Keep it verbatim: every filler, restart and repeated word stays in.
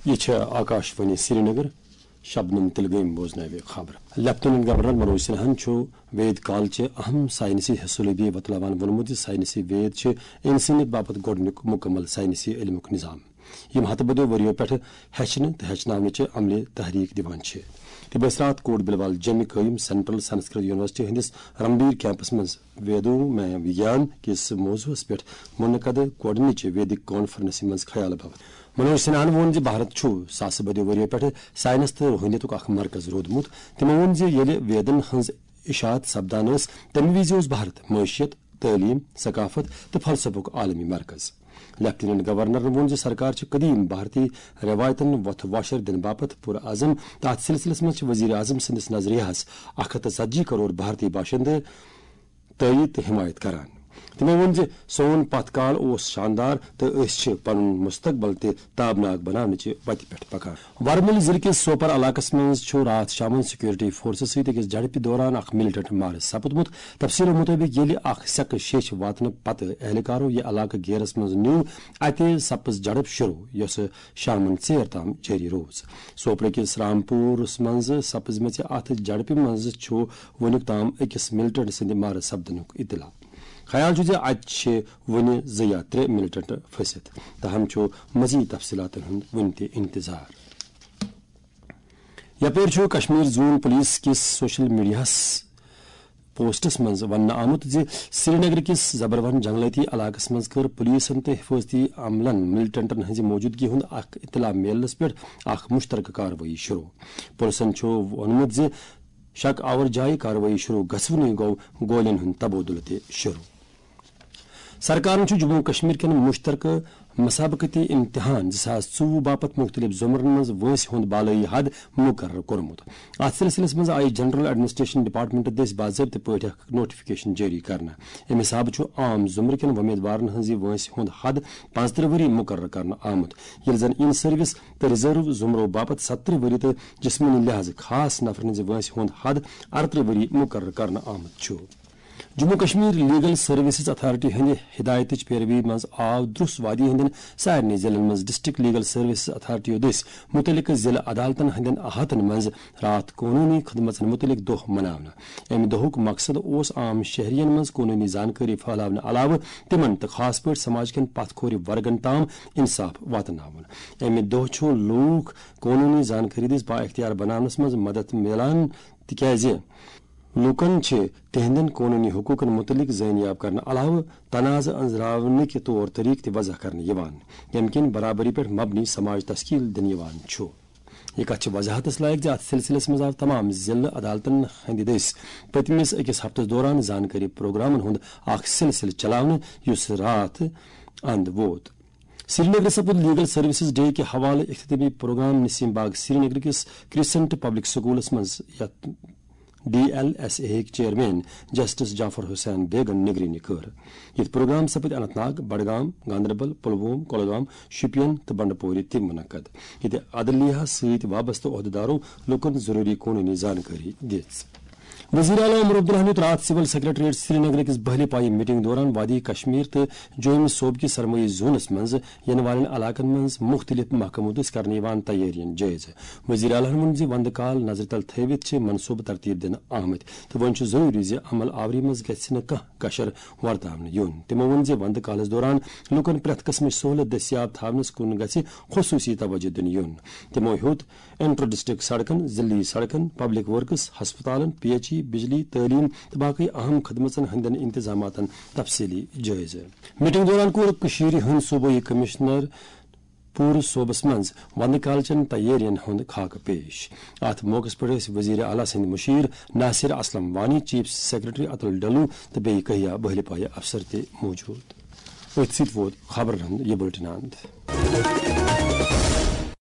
یہ چھےٚ آکاش وانی سرینگر۔ شبنم تلگٲمۍ بوزناوِ خبر۔ لیفٹیننٹ گورنر منوج سنہاہن چھُ وید کالچہِ اہم ساینسی حصہٕ لبی وتلاوان ووٚنمُت زِ ساینسی وید چھِ انسٲنیت باپتھ گۄڈٕنیُک مکمل ساینسی علمُک نظام، یِم ہتہٕ بدیو ؤرِیو پٮ۪ٹھٕ ہیٚچھنہٕ تہٕ ہیٚچھناونٕچہِ عملہِ تحریک دِوان چھِ۔ تہٕ بس راتھ کوٹ بلوال جمہِ قٲیِم سینٹرل سنسکرت یونیورسٹی ہٕنٛدِس رمبیر کیمپس منٛز ویدو میں وگیان کِس موضوعس پٮ۪ٹھ منعقد گۄڈٕنِچہِ ویدک کانفرنسہِ منٛز خیال باپتھ منوج سنہاہن ووٚن زِ بھارت چھُ ساسہٕ بٔدیو ؤرِیو پٮ۪ٹھٕ ساینس تہٕ روحٲنیتُک اکھ مرکز روٗدمُت۔ تِمو ووٚن زِ ییٚلہِ ویدن ہٕنٛز اشاعت سپدان ٲس، تَمہِ وِزِ اوس بھارت معیشت، تعلیم، ثقافت تہٕ فلسفُک عالمی مرکز۔ لیفٹیننٹ گورنرن ووٚن زِ سرکار چھِ قدیم بھارتی رٮ۪وایتن وۄتھٕ واشر دِنہٕ باپتھ پُرعزم تہٕ اتھ سلسلس منٛز چھِ وزیر اعظم سٕنٛدِس نظریہس اکھ ہتھ تہٕ ژتجی کرور بھارتی باشندٕ تٲیید تہٕ حمایت کران۔ تِمو ووٚن زِ سون پتھ کال اوس شاندار تہٕ أسۍ چھِ پنُن مستقبل تہِ تابناک بناونٕچہِ وتہِ پٮ۪ٹھ پکان۔ ورمُل ضلعہٕ کِس سوپر علاقس منٛز چھُ راتھ شامن سیکورٹی فورسز سۭتۍ أکِس جھڑپہِ دوران اکھ ملیٹنٹ مارٕ سپُدمُت۔ تفصیلو مطٲبق، ییٚلہِ اکھ سیٚکہٕ شیٚچھ واتنہٕ پتہٕ اہلکارو یہِ علاقہٕ گیرس منٛز نیوٗ، اتہِ سپٕز جھڑپ شروع، یۄسہٕ شامن ژیر تام جٲری روٗز۔ سوپرٕ کِس رامپورس منٛز سپزمٕژِ اتھ جھڑپہِ منٛز چھُ وُنیُک تام أکِس ملیٹنٹ سٕنٛدِ مارٕ سپدنُک اطلاع۔ خیال چھُ زِ اتہِ چھِ وُنہِ زٕ یا ترٛےٚ ملیٹنٹ پھٔسِتھ۔ تاہم چھُ مزید تفصیلاتن ہُنٛد وُنہِ تہِ انتظار۔ یپٲرۍ چھُ کشمیر زون پولیس کِس سوشل میڈیاہس پوسٹس منٛز وننہٕ آمُت زِ سرینگر کِس زبروَن جنگلٲتی علاقس منٛز کٔر پولیسن تہٕ حفاظتی عملن ملیٹنٹن ہٕنٛزِ موجودگی ہُنٛد اکھ اطلاع میلنس پٮ۪ٹھ اکھ مشترکہٕ کاروٲیی شروع۔ پولیسن چھُ ووٚنمُت زِ شک آور جایہِ کاروٲیی شروع گژھوٕنی گوٚو گولین ہُنٛد تبادلہٕ تہِ شروع۔ سرکارن چھُ جموں و کشمیر کٮ۪ن مشترکہٕ مسابقتی امتحان زٕ ساس ژوٚوُہ باپتھ مُختٔلِف زمرن منٛز وٲنٛسہِ ہُنٛد بالٲیی حد مُقرر کوٚرمُت۔ اتھ سلسلس منٛز آیہِ جنرل ایڈمنسٹریشن ڈپارٹمنٹ دٔسۍ باضٲبطہٕ پٲٹھۍ اکھ نوٹیفکیشن جٲری کرنہٕ۔ امہِ حسابہٕ چھُ عام زمرٕ کٮ۪ن وۄمیدوارن ہٕنٛزِ وٲنٛسہِ ہُنٛد حد پانٛژترٕہ ؤری مقرر کرنہٕ آمُت، ییٚلہِ زن ان سروس تہٕ ریزرو زمرو باپتھ ستترٕہ ؤری تہٕ جسمٲنی لحاظہٕ خاص نفرن ہٕنٛزِ وٲنٛسہِ ہُنٛد حد ارترٕہ ؤری مقرر کرنہٕ آمُت چھُ۔ Jammu Kashmir legal services authority ہٕنٛدِ ہدایتٕچ پیروی منٛز آو درس وادی ہٕنٛدٮ۪ن سارنٕے ضلعن منٛز ڈسٹرکٹ لیگل سروسز اتھارٹیو دٔسۍ مُتعلقہٕ ضلعہٕ عدالتن ہٕنٛدٮ۪ن احاطن منٛز راتھ قونوٗنی خدمژن مُتعلق دۄہ مناونہٕ۔ امہِ دۄہُک مقصد اوس عام شہرین منٛز قونوٗنی زانکٲری پھٔہلاونہٕ علاوٕ تِمن تہٕ خاص پٲٹھۍ سماج کٮ۪ن پتھ کھورِ ورگن تام انصاف واتناوُن۔ امہِ دۄہ چھُ لوٗکھ قونوٗنی زانکٲری دٔسۍ بااختیار بناونس منٛز مدد میلان، تِکیازِ لوٗکن چھِ تِہنٛدٮ۪ن قونوٗنی حقوٗقن مُتعلق زٲنیاب کرنہٕ علاوٕ تنازٕ أنٛزراونٕکۍ طور طریقہٕ تہِ وضع کرنہٕ یِوان، ییٚمہِ کِنۍ برابری پٮ۪ٹھ مبنی سماج تشکیل دِنہٕ یِوان چھُ۔ یہِ کتھ چھِ وضاحتس لایق زِ اتھ سلسلس منٛز آو تمام ضلعہٕ عدالتن ہٕنٛدِ دٔسۍ پٔتمِس أکِس ہفتس دوران زانکٲری پروگرامن ہُنٛد اکھ سلسلہٕ چلاونہٕ، یُس راتھ اند ووت۔ سرینگرٕ سپُد لیگل سروسز ڈے کہِ حوالہٕ اختتامی پروگرام نسیم باغ سرینگر کِس کرسنٹ پبلک سکولس منٛز، یتھ ڈی ایل ایس اے ہٕکۍ چیئرمین جسٹس جعفر حسین بیگن نگرٲنی کٔر۔ یتھ پروگرام سپٕدۍ اننت ناگ، بڈگام، گاندربل، پلووم، کۄلگام، شوپین تہٕ بنڈپورِ تہِ منعقد، ییٚتہِ عدلیہ سۭتۍ وابستہٕ عہدیدارو لوٗکن ضروٗری قونوٗنی زانکٲری دِژ۔ وزیر اعلیٰ عمر عبداللہن دیُت راتھ سول سیکرٹریٹ سرینگر کِس بہلہِ پایہِ میٹنگ دوران وادی کشمیر تہٕ جوٚمہِ صوبہٕ کِس سرمٲیی زونس منٛز یِنہٕ والٮ۪ن علاقن منٛز مُختٔلِف محکمو دٔسۍ کرنہٕ یِوان تیٲرین جٲیزٕ۔ وزیر اعلیٰ ہن ووٚن زِ وندٕ کال نظرِ تل تھٲوِتھ چھِ منصوبہٕ ترتیب دِنہٕ آمٕتۍ تہٕ وۄنۍ چھُ ضروٗری زِ عمل آوری منٛز گژھِ نہٕ کانٛہہ کشر ورتاونہٕ یُن۔ تِمو ووٚن زِ وندٕ کالس دوران لوٗکن پرٛٮ۪تھ قٕسمٕچ سہولت دٔستیاب تھاونس کُن گژھِ خصوٗصی توجہ دِنہٕ یُن۔ تِمو ہیوٚت انٹر ڈسٹرکٹ سڑکن، ضلعی سڑکن، پبلک ورکس، ہسپتالن، پی ایچ ای، بجلی، تعلیم تہٕ باقی اہم خدمژن ہٕنٛدٮ۪ن انتظاماتن تفصیلی جٲیزٕ۔ میٹنگ دوران کوٚر کٔشیٖرِ ہُنٛد صوبٲئی کمشنر پوٗرٕ صوبس منٛز ونٛدٕ کالچن تیٲرین ہُنٛد خاکہٕ پیش۔ اتھ موقعس پٮ۪ٹھ ٲسۍ وزیر اعلیٰ سٕنٛدۍ مُشیر ناصر اسلم وانی، چیف سیکرٹری اتُل ڈلو تہٕ بیٚیہِ کہیا بہلہِ پایہِ افسر تہِ موجود۔ أتھۍ سۭتۍ ووت خبرن ہُنٛد یہِ بُلٹن اند۔